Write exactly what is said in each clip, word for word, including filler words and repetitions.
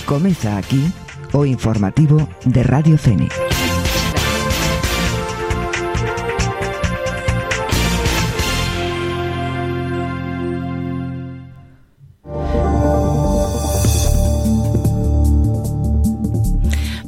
Comeza aquí o informativo de Radio Fénix.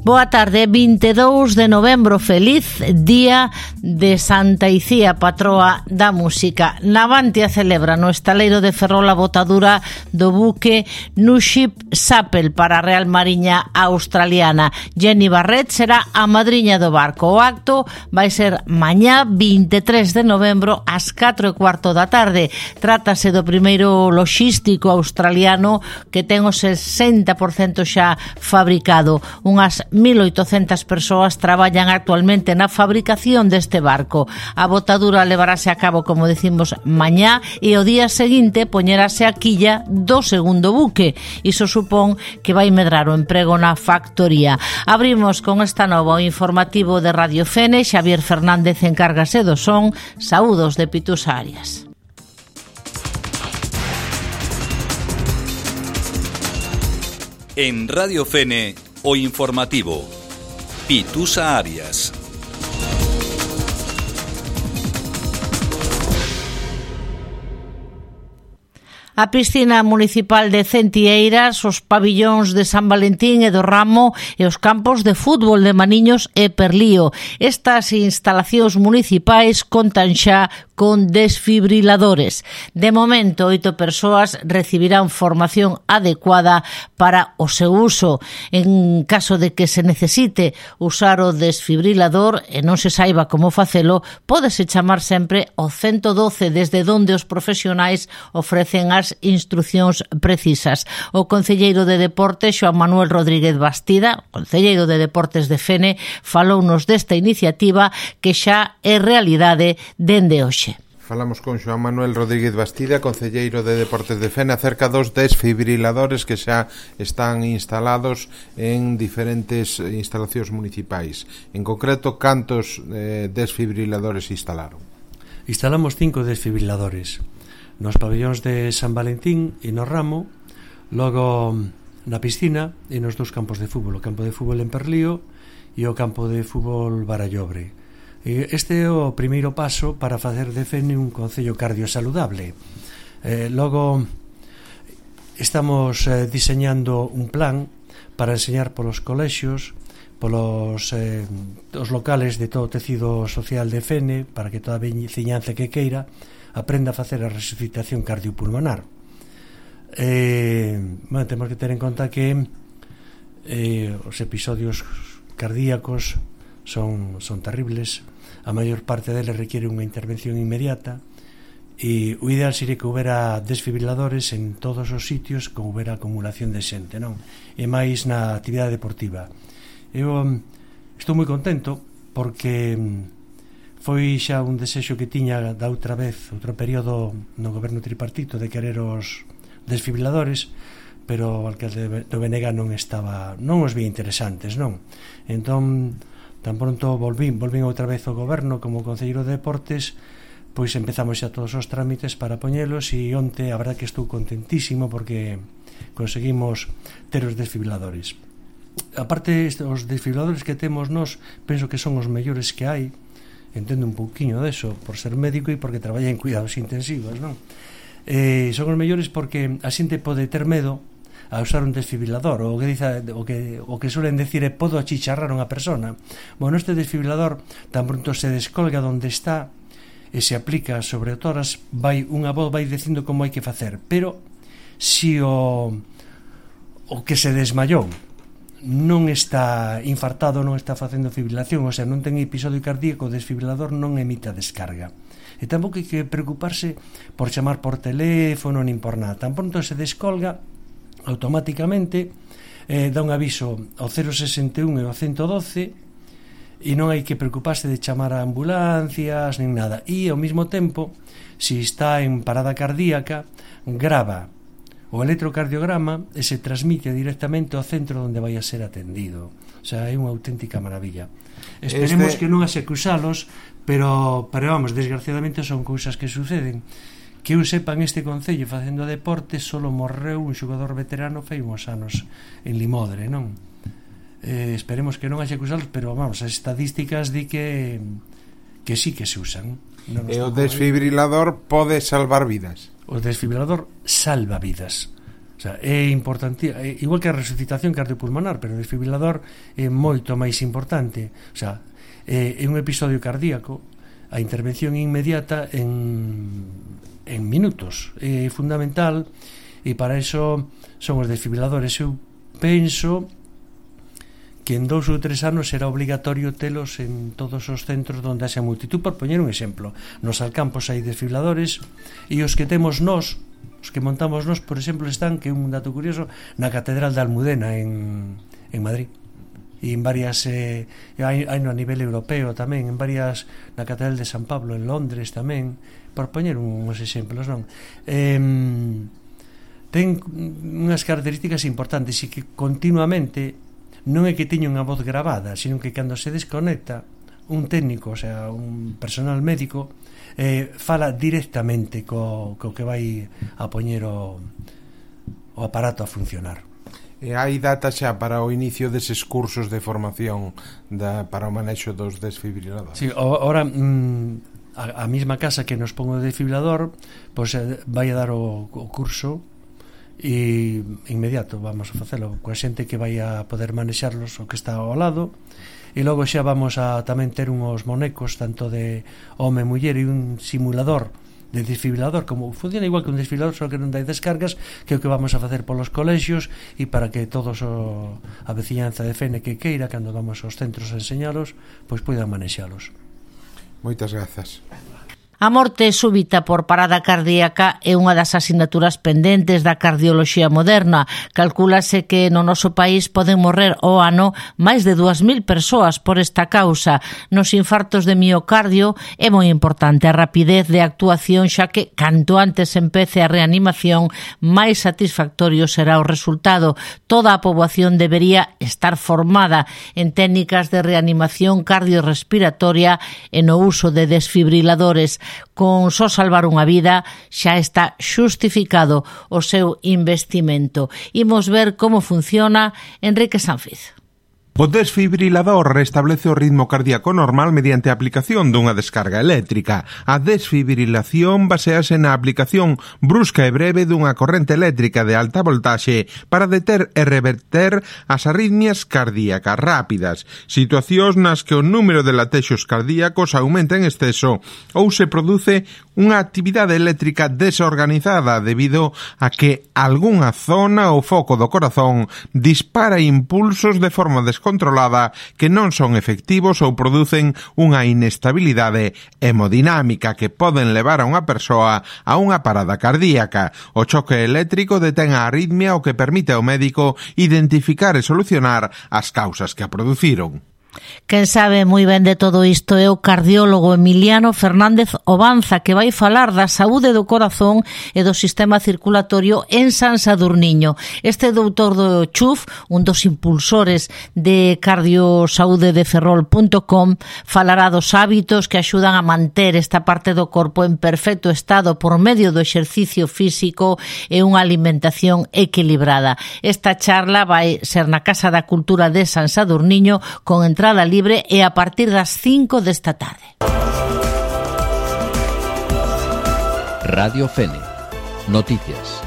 Boa tarde, vinte e dous de novembro, feliz día de Santa Icía, patroa da música. Navantia celebra no estaleiro de Ferrol a botadura do buque Nuship Sapel para a Real Mariña Australiana. Jenny Barret será a madriña do barco. O acto vai ser mañá vinte e tres de novembro ás catro e cuarto da tarde. Trátase do primeiro loxístico australiano que ten o sesenta por cento xa fabricado. Unhas mil oitocentas persoas traballan actualmente na fabricación deste barco. A botadura levarase a cabo, como decimos, mañá e o día seguinte poñerase a quilla do segundo buque. Iso supón que vai medrar o emprego na factoría. Abrimos con esta nova o informativo de Radio Fénix. Xavier Fernández encárgase do son. Saúdos de Pitusa Arias. En Radio Fene, o informativo Pitusa Arias. A piscina municipal de Centieiras, os pabillóns de San Valentín e do Ramo e os campos de fútbol de Maniños e Perlío. Estas instalacións municipais contan xa con desfibriladores. De momento, oito persoas recibirán formación adecuada para o seu uso. En caso de que se necesite usar o desfibrilador e non se saiba como facelo, pódese chamar sempre ao ciento doce, desde onde os profesionais ofrecen as instruccións precisas. O concelleiro de Deportes, Xoán Manuel Rodríguez Bastida, concelleiro de Deportes de Fene, falounos desta iniciativa que xa é realidade dende hoxe. Falamos con Xoán Manuel Rodríguez Bastida, concelleiro de Deportes de Fene, acerca dos desfibriladores que xa están instalados en diferentes instalacións municipais. En concreto, cantos eh, desfibriladores instalaron? Instalamos cinco desfibriladores nos pabellóns de San Valentín e no Ramo, logo na piscina e nos dous campos de fútbol, o campo de fútbol en Perlío e o campo de fútbol Barallobre. Este é o primeiro paso para facer de Fene un concello cardiosaludable. Eh, logo estamos eh, diseñando un plan para enseñar polos colexios, polos eh, os locales de todo o tecido social de Fene, para que toda a veciñanza que queira aprenda a facer a resucitación cardiopulmonar. Eh, bueno, temos que ter en conta que eh, os episodios cardíacos son, son terribles. A maior parte deles requiere unha intervención inmediata e o ideal sería que houbera desfibriladores en todos os sitios que houbera acumulación de xente, non? E máis na actividade deportiva. Eu estou moi contento porque foi xa un desexo que tiña da outra vez, outro período no goberno tripartito, de querer os desfibriladores, pero o alcalde do B N G non estaba, non os vía interesantes, non? Entón, tan pronto volvín, volvín outra vez ao goberno como concelleiro de Deportes, pois empezamos xa todos os trámites para poñelos e onte a verdad que estou contentísimo porque conseguimos ter os desfibriladores. Aparte, os desfibriladores que temos nós, penso que son os mellores que hai. Entendo un pouquiño deso por ser médico e porque traballa en cuidados intensivos, non? Eh, son os mellores porque a xente pode ter medo a usar un desfibrilador, o que dice, o que o que suelen decir é podo achicharrar unha persona. Bueno, este desfibrilador tan pronto se descolga onde está e se aplica sobre o tórax, vai unha voz vai dicindo como hai que facer, pero si o o que se desmayou non está infartado, non está facendo fibrilación, o sea, non ten episodio cardíaco, o desfibrilador non emite a descarga. E tampouco hai que preocuparse por chamar por teléfono nin por nada. Tan pronto se descolga, automáticamente eh, dá un aviso ao cero sesenta e un e ao ciento doce e non hai que preocuparse de chamar a ambulancias nin nada. E ao mesmo tempo, se está en parada cardíaca, grava o electrocardiograma e se transmite directamente ao centro onde vai a ser atendido. O sea, é unha auténtica maravilla. Esperemos este... que non haxe que usalos, pero, pero vamos, desgraciadamente son cousas que suceden, que eu sepa, en este concello facendo deporte solo morreu un xogador veterano fai uns anos en Limodre, non? Eh, esperemos que non haxe que usarlos, pero vamos, as estadísticas di que que sí que se usan. Non e o desfibrilador aí. Pode salvar vidas. O desfibrilador salva vidas. O sea, é importante, é igual que a resucitación cardiopulmonar, pero o desfibrilador é moito máis importante. O sea, é, é un episodio cardíaco, a intervención inmediata en, en minutos é fundamental, e para eso son os desfibriladores. Eu penso que en dous ou tres anos será obligatorio telos en todos os centros onde haxa multitud. Por poñer un exemplo, nos Alcampos hai desfibriladores, e os que temos nós, os que montamos nós, por exemplo, están, que é un dato curioso, na Catedral de Almudena en, en Madrid, e en varias eh, hai, hai no a nivel europeo tamén, en varias, na Catedral de San Pablo en Londres tamén, por poñer uns exemplos, non? Eh, ten unhas características importantes, e que continuamente non é que teña unha voz gravada, sino que cando se desconecta un técnico, o sea, un personal médico, eh, fala directamente co, co que vai a poñer o, o aparato a funcionar. E hai data xa para o inicio deses cursos de formación da, para o manexo dos desfibriladores? Sí, ahora mm, a, a mesma casa que nos pon o desfibrilador, pois pues, vai a dar o, o curso, e inmediato vamos a facelo coa xente que vai a poder manexarlos, o que está ao lado, e logo xa vamos a tamén ter unhos monecos tanto de home e muller, e un simulador de desfibrilador, como funciona igual que un desfibrilador, só que non dai descargas, que é o que vamos a facer polos colexios, e para que todos o, a veciñanza de Fene que queira, cando vamos aos centros a enseñalos, pois poidan manexalos. Moitas grazas. A morte súbita por parada cardíaca é unha das asignaturas pendentes da cardioloxía moderna. Calcúlase que no noso país poden morrer ao ano máis de dúas mil persoas por esta causa. Nos infartos de miocardio é moi importante a rapidez de actuación, xa que canto antes empece a reanimación, máis satisfactorio será o resultado. Toda a poboación debería estar formada en técnicas de reanimación cardiorrespiratoria e no uso de desfibriladores. Con só salvar unha vida xa está xustificado o seu investimento. Imos ver como funciona Enrique Sanfiz. O desfibrilador restablece o ritmo cardíaco normal mediante a aplicación dunha descarga eléctrica. A desfibrilación basease na aplicación brusca e breve dunha corrente eléctrica de alta voltaxe para deter e reverter as arritmias cardíacas rápidas, situacións nas que o número de latexos cardíacos aumenta en exceso ou se produce unha actividade eléctrica desorganizada debido a que algunha zona ou foco do corazón dispara impulsos de forma descontrolada controlada que non son efectivos ou producen unha inestabilidade hemodinámica que poden levar a unha persoa a unha parada cardíaca. O choque eléctrico detén a arritmia, o que permite ao médico identificar e solucionar as causas que a produciron. Quen sabe moi ben de todo isto é o cardiólogo Emiliano Fernández Obanza, que vai falar da saúde do corazón e do sistema circulatorio en San Sadurniño. Este doutor do C H U F, un dos impulsores de Cardiosaude de Ferrol punto com, falará dos hábitos que axudan a manter esta parte do corpo en perfecto estado por medio do exercicio físico e unha alimentación equilibrada. Esta charla vai ser na Casa da Cultura de San Sadurniño, con entrada libre, e a partir das cinco desta tarde. Radio Fene. Noticias.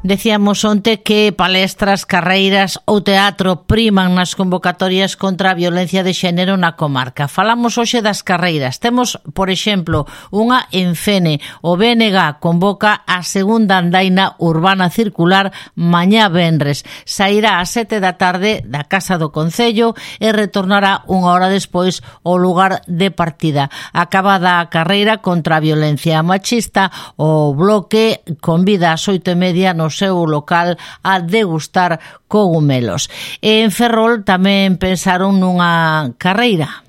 Decíamos onte que palestras, carreiras ou teatro priman nas convocatorias contra a violencia de xénero na comarca. Falamos hoxe das carreiras. Temos, por exemplo, unha en Fene. O B N G convoca a segunda andaina urbana circular mañá venres. Sairá ás sete da tarde da Casa do Concello e retornará unha hora despois ao lugar de partida. Acabada a carreira contra a violencia machista, o bloque convida ás oito e media no seu local a degustar cogumelos. E en Ferrol tamén pensaron nunha carreira.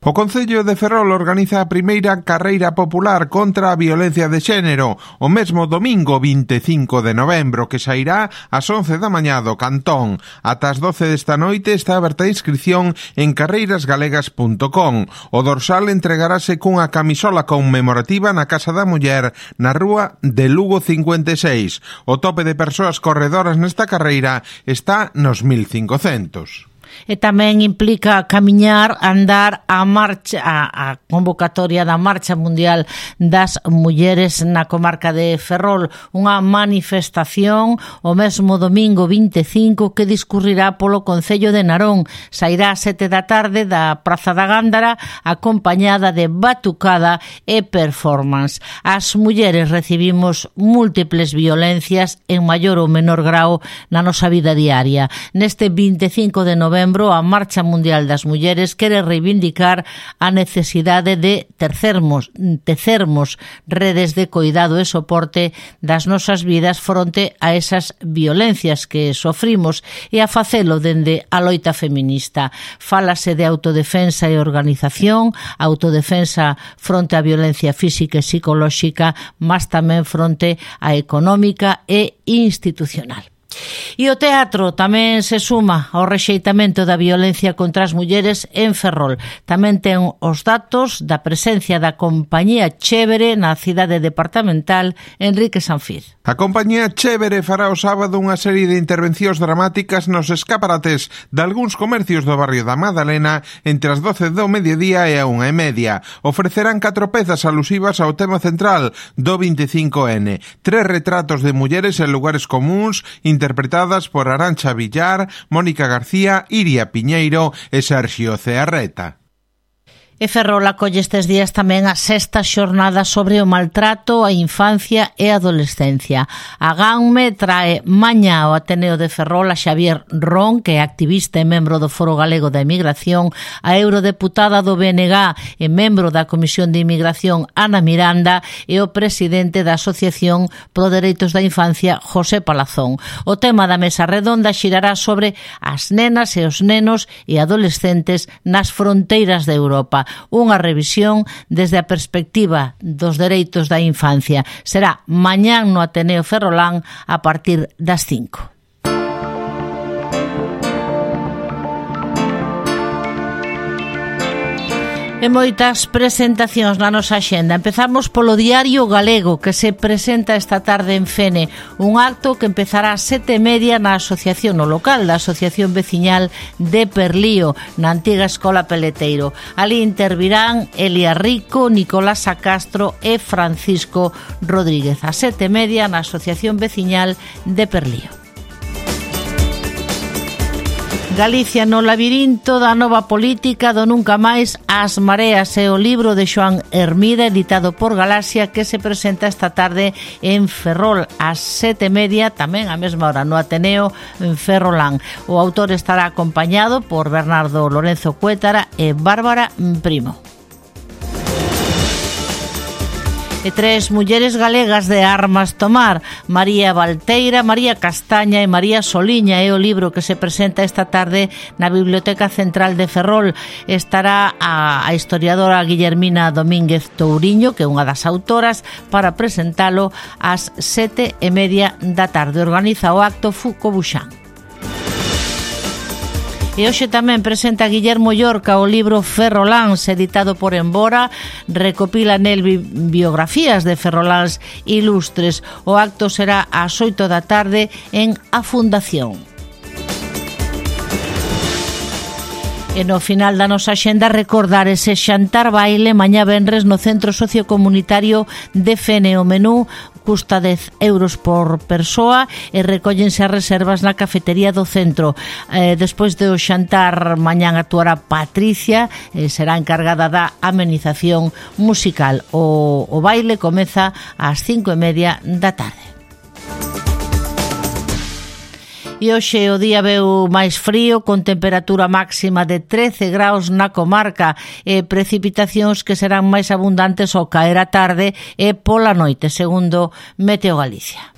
O Concello de Ferrol organiza a primeira carreira popular contra a violencia de xénero o mesmo domingo vinte e cinco de novembro, que sairá ás once da mañá do Cantón. Ata as doce desta noite está aberta a inscripción en carreiras galegas punto com. O dorsal entregarase cunha camisola conmemorativa na Casa da Muller na rúa de Lugo cincuenta e seis. O tope de persoas corredoras nesta carreira está nos mil cincocentos. E tamén implica camiñar, andar a marcha a, a convocatoria da Marcha Mundial das Mulleres na comarca de Ferrol, unha manifestación o mesmo domingo vinte e cinco que discurrirá polo Concello de Narón. Sairá a sete da tarde da Praza da Gándara acompañada de batucada e performance. As mulleres recibimos múltiples violencias en maior ou menor grao na nosa vida diaria. Neste vinte e cinco de novembro a Marcha Mundial das Mulleres quere reivindicar a necesidade de tercermos, tecermos redes de coidado e soporte das nosas vidas fronte a esas violencias que sofrimos e a facelo dende a loita feminista. Fálase de autodefensa e organización, autodefensa fronte á violencia física e psicolóxica, mas tamén fronte á económica e institucional. E o teatro tamén se suma ao rexeitamento da violencia contra as mulleres en Ferrol. Tamén ten os datos da presencia da compañía Chévere na cidade departamental Enrique Sanfiz. A compañía Chévere fará o sábado unha serie de intervencións dramáticas nos escaparates de algúns comercios do barrio da Madalena entre as doce do mediodía e a unha e media. Ofrecerán catro pezas alusivas ao tema central do vinte e cinco ene. Tres retratos de mulleres en lugares comuns interpretadas por Arantxa Villar, Mónica García, Iria Piñeiro e Sergio Cearreta. E Ferrol acolle estes días tamén a sexta xornada sobre o maltrato á infancia e adolescencia. A GANME trae mañá ao Ateneo de Ferrol a Xavier Ron, que é activista e membro do Foro Galego da Emigración, a eurodeputada do B N G e membro da Comisión de Inmigración Ana Miranda e o presidente da Asociación Pro Dereitos da Infancia José Palazón. O tema da mesa redonda xirará sobre as nenas e os nenos e adolescentes nas fronteiras de Europa. Unha revisión desde a perspectiva dos dereitos da infancia. Será mañán no Ateneo Ferrolán a partir das cinco. E moitas presentacións na nosa axenda. Empezamos polo Diario Galego, que se presenta esta tarde en Fene, un acto que empezará a sete e media na asociación no local da Asociación Veciñal de Perlío, na antiga Escola Peleteiro. Ali intervirán Elia Rico, Nicolás Castro e Francisco Rodríguez. A sete e media na Asociación Veciñal de Perlío. Galicia no labirinto da nova política do nunca máis as mareas é o libro de Xoán Hermida editado por Galaxia que se presenta esta tarde en Ferrol ás sete e media, tamén a mesma hora no Ateneo en Ferrolán. O autor estará acompañado por Bernardo Lorenzo Cuétara e Bárbara Primo. E tres mulleres galegas de armas tomar, María Valteira, María Castaña e María Soliña é o libro que se presenta esta tarde na Biblioteca Central de Ferrol. Estará a, a historiadora Guillermina Domínguez Touriño, que é unha das autoras, para presentalo ás sete e media da tarde. Organiza o acto Fuco Buxán. E hoxe tamén presenta Guillermo Llorca o libro Ferroláns, editado por Embora, recopila nel biografías de ferroláns ilustres. O acto será ás oito da tarde en A Fundación. E no final da nosa axenda recordar ese xantar baile mañá venres no Centro Sociocomunitario de Fene. O menú custa dez euros por persoa e recóllense as reservas na cafetería do centro. Eh, despois do xantar mañán actuará Patricia, eh, será encargada da amenización musical. O, o baile comeza ás cinco e media da tarde. E hoxe o día veu máis frío, con temperatura máxima de trece graus na comarca e precipitacións que serán máis abundantes ao caer a tarde e pola noite, segundo Meteo Galicia.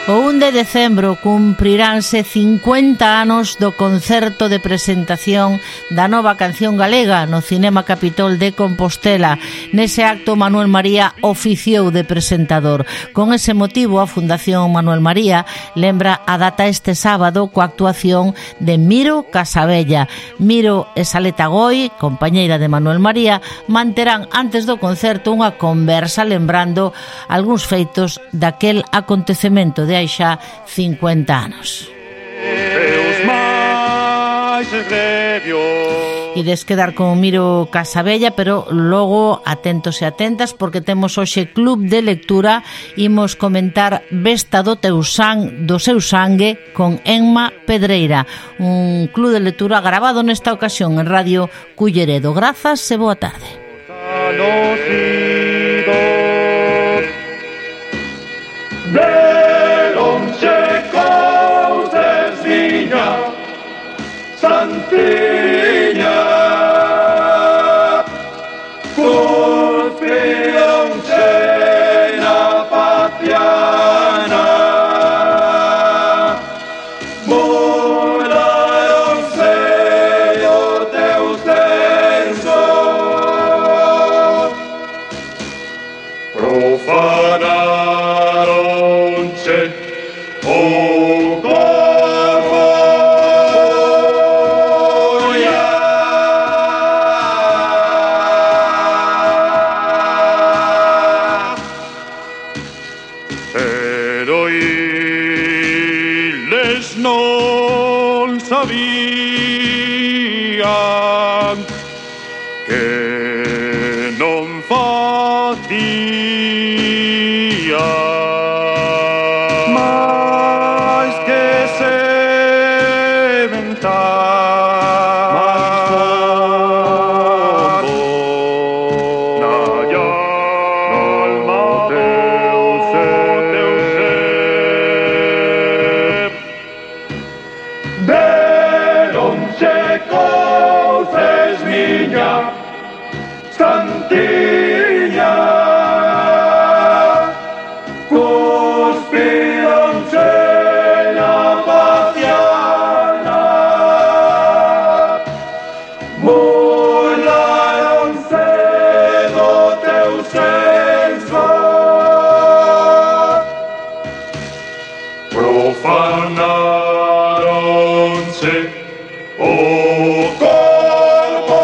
O un de decembro cumpriránse cincuenta anos do concerto de presentación da nova canción galega no Cinema Capitol de Compostela. Nese acto Manuel María oficiou de presentador. Con ese motivo a Fundación Manuel María lembra a data este sábado coa actuación de Miro Casabella. Miro e Saleta Goi, compañeira de Manuel María, manterán antes do concerto unha conversa lembrando algúns feitos daquel acontecemento de hai xa cincuenta anos. Ides quedar con Miro Casabella, pero logo atentos e atentas porque temos hoxe club de lectura. Imos comentar Vesta do teu sang, do seu sangue con Enma Pedreira, un club de lectura grabado nesta ocasión en Radio Culleredo. Grazas e boa tarde. Santiña, cuspión sena paciana, mudaron sello teu censo, profanaronche o corpo. Non sabían que non facía máis que sementar máis fondo na alma teu ser, teu ser. Deronse cousas miña Santiña, cuspironse na paciana, burlaronse do teu senso, profanaronse o corpo.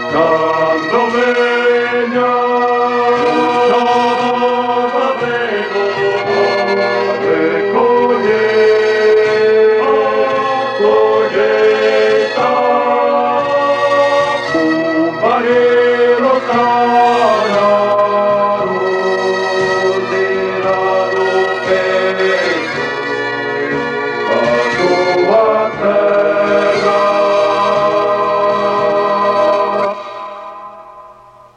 Cando veña nova vego a recoller a colleita, un parelo